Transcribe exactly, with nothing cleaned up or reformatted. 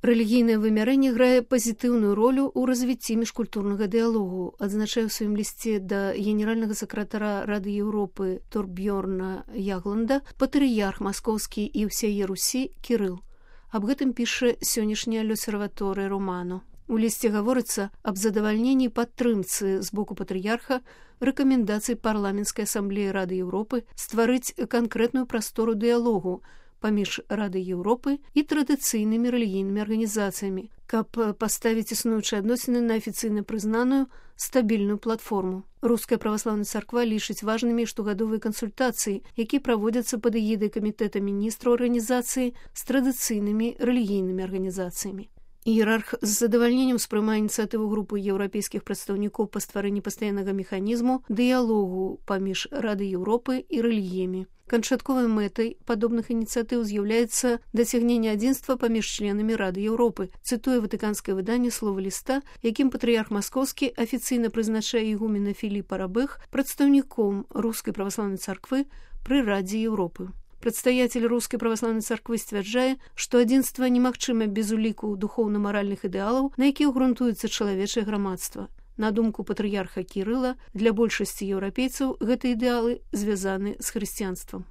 Рэлігійнае вымярэнне грае пазітыўную ролю ў развіцці міжкультурнага дыялогу, адзначае ў сваім лісце да генеральнага сакратара Рады Еўропы Торбьёрна Ягланда патрыярх маскоўскі і ўсяе Русі Кірыл. Аб гэтым піша сённяшняя L'Osservatore Romano. У лісце гаворыцца аб задавальненні падтрымцы з боку патрыярха рэкамендацый парламенцкай асамблеі Рады Еўропы стварыць канкрэтную прастору дыялогу паміж Радай Еўропы і традыцыйнымі рэлігійнымі арганізацыямі, каб паставіць існуючыя адносіны на афіцыйна прызнаную стабільную платформу. Руская праваслаўная царква лічыць важнымі штогадовыя кансультацыі, якія праводзяцца пад эгідай камітэта міністраў арганізацыі з традыцыйнымі рэлігійнымі арганізацыямі. Іерарх з задавальненнем успрымае ініцыятыву групы еўрапейскіх прадстаўнікоў па стварэнні пастаяннага механізму дыялогу паміж Радай Еўропы і рэлігіямі. Канчатковай мэтай падобных ініцыятыў з'яўляецца дасягненне адзінства паміж членамі Рады Еўропы, цытуе ватыканскае выданне слова ліста, якім патрыярх маскоўскі афіцыйна прызначае ігумена Філіпа Рабэх прадстаўніком рускай праваслаўнай царквы пры Радзе Еўропы. Прадстаяцель рускай праваслаўнай царквы сцвярджае, што адзінства немагчыма без уліку духоўна-маральных ідэалаў, на якіх грунтуецца чалавечае грамадства. На думку патрыярха Кірыла, для большасці еўрапейцаў гэтыя ідэалы звязаны з хрысціянствам.